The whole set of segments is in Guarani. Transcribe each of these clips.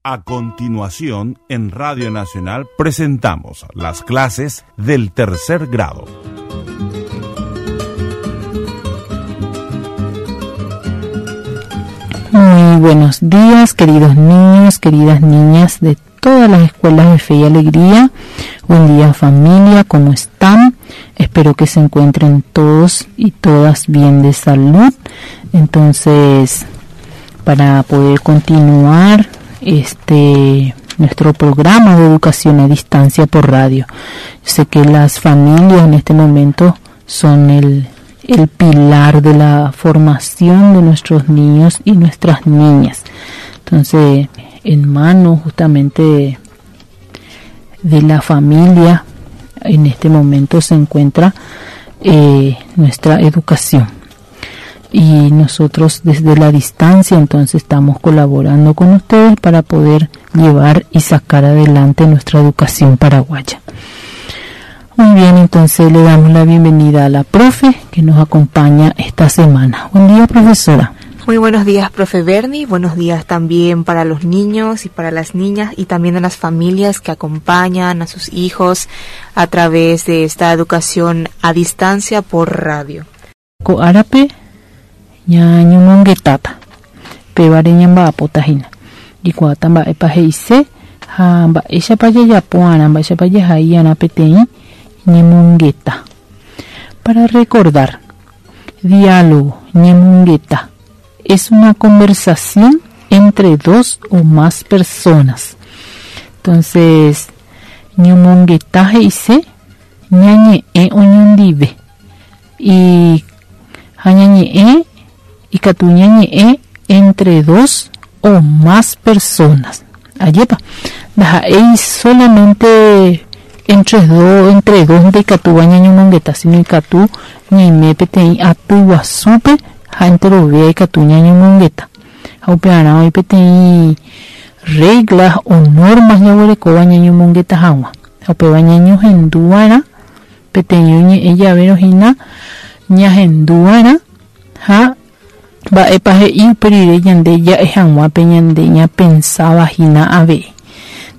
A continuación, en Radio Nacional presentamos las clases del tercer grado. Muy buenos días, queridos niños, queridas niñas de todas las escuelas de Fe y Alegría. Buen día familia, ¿cómo están? Espero que se encuentren todos y todas bien de salud. Entonces, para poder continuar este nuestro programa de educación a distancia por radio. Yo sé que las familias en este momento son el, el pilar de la formación de nuestros niños y nuestras niñas. Entonces, en manos justamente de la familia, en este momento se encuentra eh, nuestra educación. Y nosotros desde la distancia entonces estamos colaborando con ustedes para poder llevar y sacar adelante nuestra educación paraguaya. Muy bien, entonces le damos la bienvenida a la profe que nos acompaña esta semana. Buen día, profesora. Muy buenos días, profe Bernie. Buenos días también para los niños y para las niñas y también a las familias que acompañan a sus hijos a través de esta educación a distancia por radio. Ko árape ñañomongetáta pévare ñamba'apóta hína jaikuaáta mba'épa he'ise ha mba'éichapa jajapo'arã mba'éichapa jahai'arã peteĩ ñemongeta. Para recordar, diálogo, ñemongeta, es una conversación entre dos o más personas. Entonces, ñomongeta he'ise ñañe'ẽ oñondive y ha ñañe'ẽ ikatu ñañe'ẽ entre dos o más personas. Ajépa, ndaha'éi solamente entre dos, entre dos ndaikatúva ñañomongeta, sino ikatu ñaime peteĩ aty guasúpe ha enterovéa ikatu ñañomongeta. Ha upearã oĩ peteĩ reglas o normas jaguerekóva ñañomongeta hag̃ua. Ha upéva ñañohenduva'erã peteĩ oñe'ẽ javérõ hína ñahenduva'erã ha mba'épa he'i upe rire ñande ja'e hag̃ua pe ñande ñapensáva hína avei.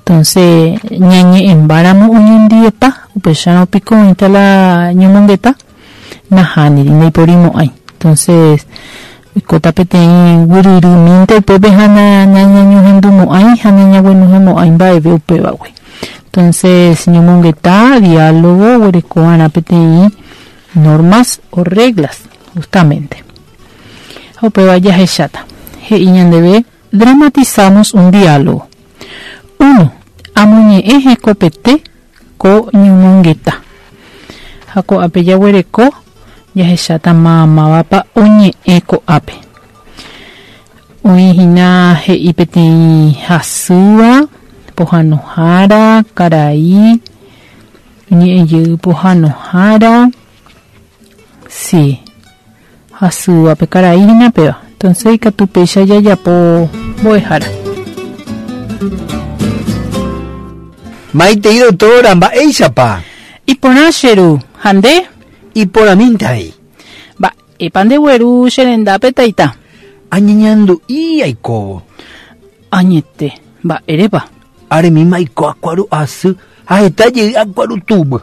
Entonces, ñañe'ẽmbáramo oñondivepa, upéicharõ piko oĩta la ñomongeta? Nahániri, ndaiporimo'ãi. Entonces, oikóta peteĩ guyryrymínte upépe ha nañañohendumo'ãi ha nañaguenohẽmo'ãi mba'eve upévagui. Entonces, ñomongeta, diálogo, oguerekova'erã peteĩ normas o reglas, justamente. Ha upéva jahecháta. He'i ñandéve, Dramatizamos un diálogo. Uno, Amoñe'ẽ hekopete ko ñomongeta. Ha ko'ápe jaguereko jahecháta mávapa oñe'ẽ ko'ápe. Oĩ hína he'i peteĩ hasýva, pohãnohára, karai, oñe'ẽ jey pohãnohára, sí. Hasýva pe karai hína péva. Entonces ikatu péicha jajapo mbo'ehára. Maitei doctora, mba'éichapa? Iporã che ru, ha nde? Iporãmínte avei. Mba'épa ndegueru che rendápe taita? Añeñandu'i aikóvo. Añete, mba'érepa? Aremíma aiko akuaru asy ha heta jey akuaru tugui.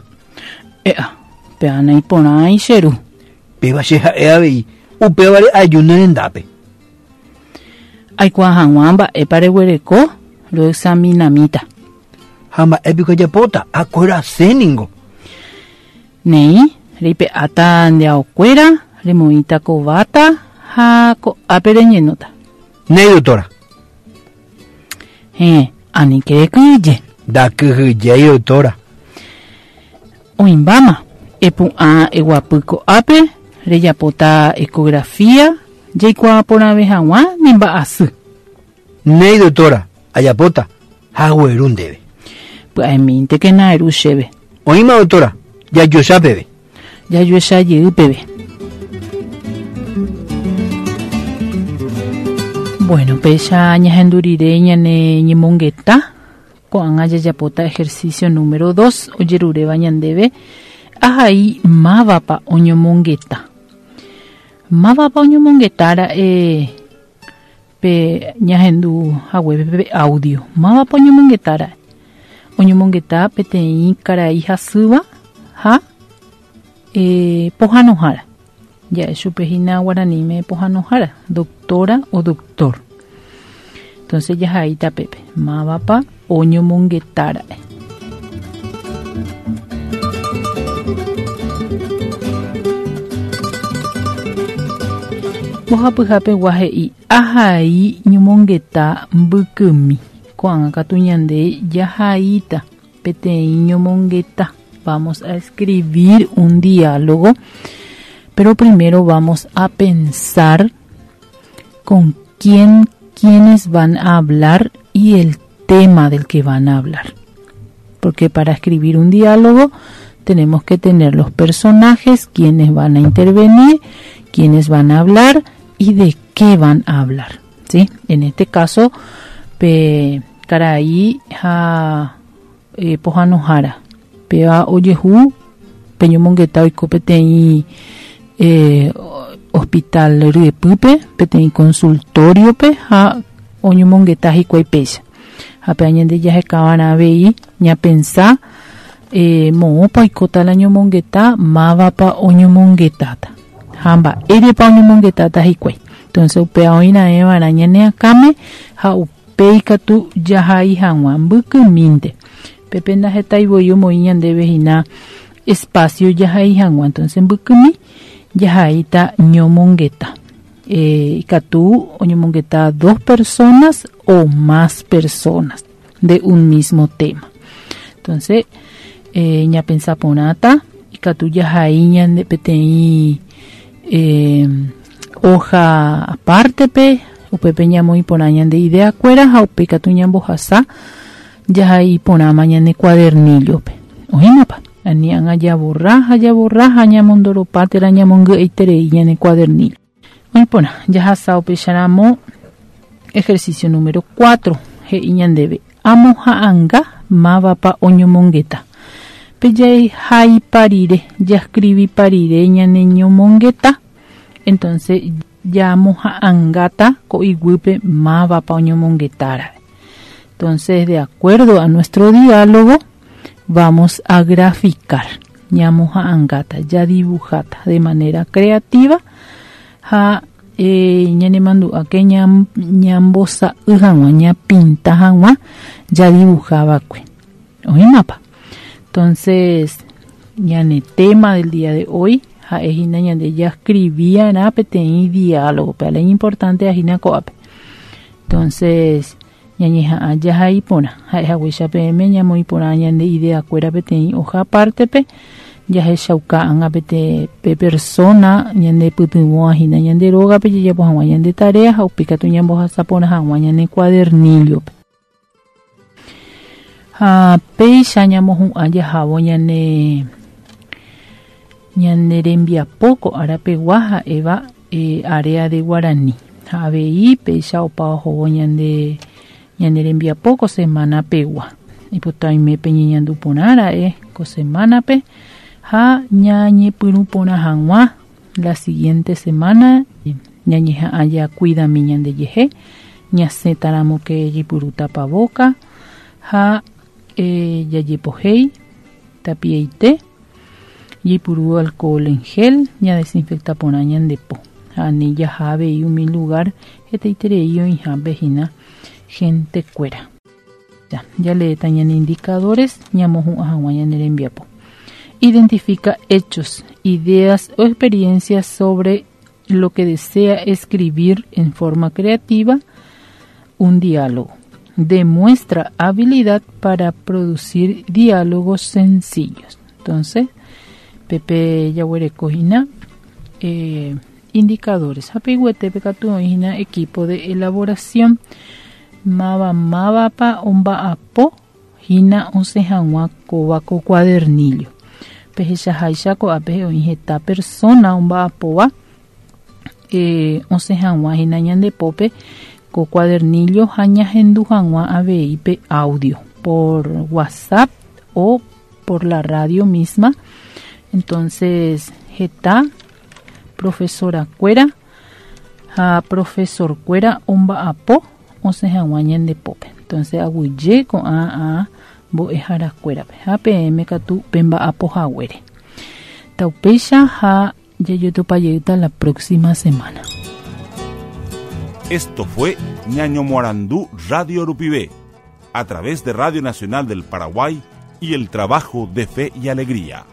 E'a, péva naiporãi che ru. Péva che ha'e avei, upévare aju ne rendápe. Aikuaa hag̃ua mba'épa reguereko roexaminamíta. Ha mba'e piko ajapóta, akuerase ningo. Néi, reipe'áta nde aokuéra, remoĩta kováta ha ko'ápe reñenóta. Néi, doctora. Héẽ, aníke rekyhyje. Ndakyhyjéi, doctora. Oĩmbáma, epu'ã eguapy ko'ápe rejapóta ecografía jaikuaa porãve hag̃ua ne mba'asy. Néi doctora, ajapóta, ha agueru ndéve. Pya'emíntekena eru chéve. Oĩma doctora, jajuecha peve. Jajuecha jey peve. Bueno, péicha ñahendu rire ñane ñemongeta. Ko'ág̃a jajapóta ejercicio número dos ojeruréva ñandéve ahai mávapa oñomongeta. Mávapa oñomongeta ra'e Pe ñahendu haguépe pe audio. Mávapa oñomongeta ra'e? Oñomongeta peteĩ karai hasýva ha eh, pohãnohára. Ja'e chupe hína guaraníme pohãnohára, doctora o doctor. Entonces jahaíta pépe, mávapa oñomongeta ra'e. Mbohapyhapegua he'i, Ahai ñomongeta mbykymi. Ko'ág̃a katu ñande jahaíta peteĩ ñomongeta. Vamos a escribir un diálogo, pero primero vamos a pensar con quién, quiénes van a hablar y el tema del que van a hablar. Porque para escribir un diálogo tenemos que tener los personajes, quienes van a intervenir, quiénes van a hablar y de qué van a hablar. ¿sí? En este caso, pe karai ha eh, pohãnohára. Péva ojehu pe ñomongeta oiko peteĩ eh, hospital ryepýpe, peteĩ consultorio-pe ha oñomongeta hikuái péicha. Ha péva ñande jahekava'erã avei ñapensa eh, moõpa oikóta la ñomongeta, mávapa oñomongetáta ha mba'érepa oñomongetáta hikuái. Entonces upéva oĩraẽva'erã ñane akãme ha upéi katu jahai hag̃ua mbykymínte. Pépe ndahetái voi omoĩ ñandéve hína espacio jahai hag̃ua, entonces mbykymi jahaíta ñomongeta. Eh, ikatu oñomongeta dos personas o más personas de un mismo tema. Entonces, eh, ñapensa porãta, ikatu jahai ñande peteĩ eh, hoja apártepe, upépe ñamoĩ porã ñande idea kuéra ha upe ikatu ñambohasa Jahai iporãma ñane cuadernillo-pe. Oĩmapa? Ani ág̃a jaborra ha jaborra ha ñamondoropa térã ñamongy'aiterei ñane cuadernillo. Oĩ porã, jahasa upéicharamo ejercicio número 4, he'i ñandéve, Amoha'anga mávapa oñomongeta. Pe jahaipa rire, jaskrivipa rire ñane ñomongeta, entonces jamoha'angáta ko iguýpe mávapa oñomongetára'e. Entonces, de acuerdo a nuestro diálogo, vamos a graficar. Ñamoha'angáta, jadibujáta de manera creativa ha eh, ñanemandu'áke ñambosa'y hag̃ua, ñapinta hag̃ua jadibujava'ekue. Oĩmapa? Entonces, ñane tema del día de hoy ha'e hína ñande jascribiarã peteĩ diálogo, pe la importante hína ko'ápe. Entonces, ñañeha'ã jahai porã, ha'e haguéicha peẽme ñamoĩ porã ñande idea kuéra peteĩ hoja apártepe, jahechauka ág̃a pete pe persona ñande pytyvõva hína ñande rógape jajapo hag̃ua ñande tarea ha upéi katu ñambohasa porã hag̃ua ñane cuadernillo-pe. Ha péicha ñamohu'ã jahávo ñane ñane rembiapo ko árapegua ha'éva eh, área de guarani. Ha avei péicha opa ohóvo ñande ñane rembiapo ko semana pegua. Ipota oime peñeñandu porã ra'e ko semánape ha ñañepyrũ porã hag̃ua la siguiente semana ñañeha'ã jakuidami ñandejehe ñasẽtaramo ke jaipuru tapavóka ha eh, jajepohéi tapiaite jaipuru alcohol en gel ñadesinfecta porã ñande po ha ani jaha avei umi lugar hetaiterei oĩhápe hína gente kuéra. Ja, jaleéta ñane indicadores ñamohu'ã hag̃ua ñane rembiapo. Identifica hechos, ideas o experiencias sobre lo que desea escribir en forma creativa un diálogo. Demuestra habilidad para producir diálogos sencillos. Entonces, Pepe jaguereko hína eh, indicadores. Ha peiguetépe katu oĩ hína equipo de elaboración. Máva mávapa omba'apo hína osẽ hag̃ua kóva ko cuadernillo. Pehechaháicha ko'ápe oĩ heta persona omba'apóva eh, osẽ hag̃ua hína ñande pópe ko cuadernillo ha ñahendu hag̃ua avei pe audio por WhatsApp o por la radio misma. Entonces heta profesora-kuéra Ha profesor-kuéra omba'apo osẽ hag̃ua ñande pópe. Entonces aguyje ko'ã a mbo'eharakuérape ha peẽme katu pemba'apo haguére. Taupéicha ha jajotopajeýta la próxima semana. Esto fue Ñañomoarandu Radio Rupive, a través de Radio Nacional del Paraguay y el trabajo de Fe y Alegría.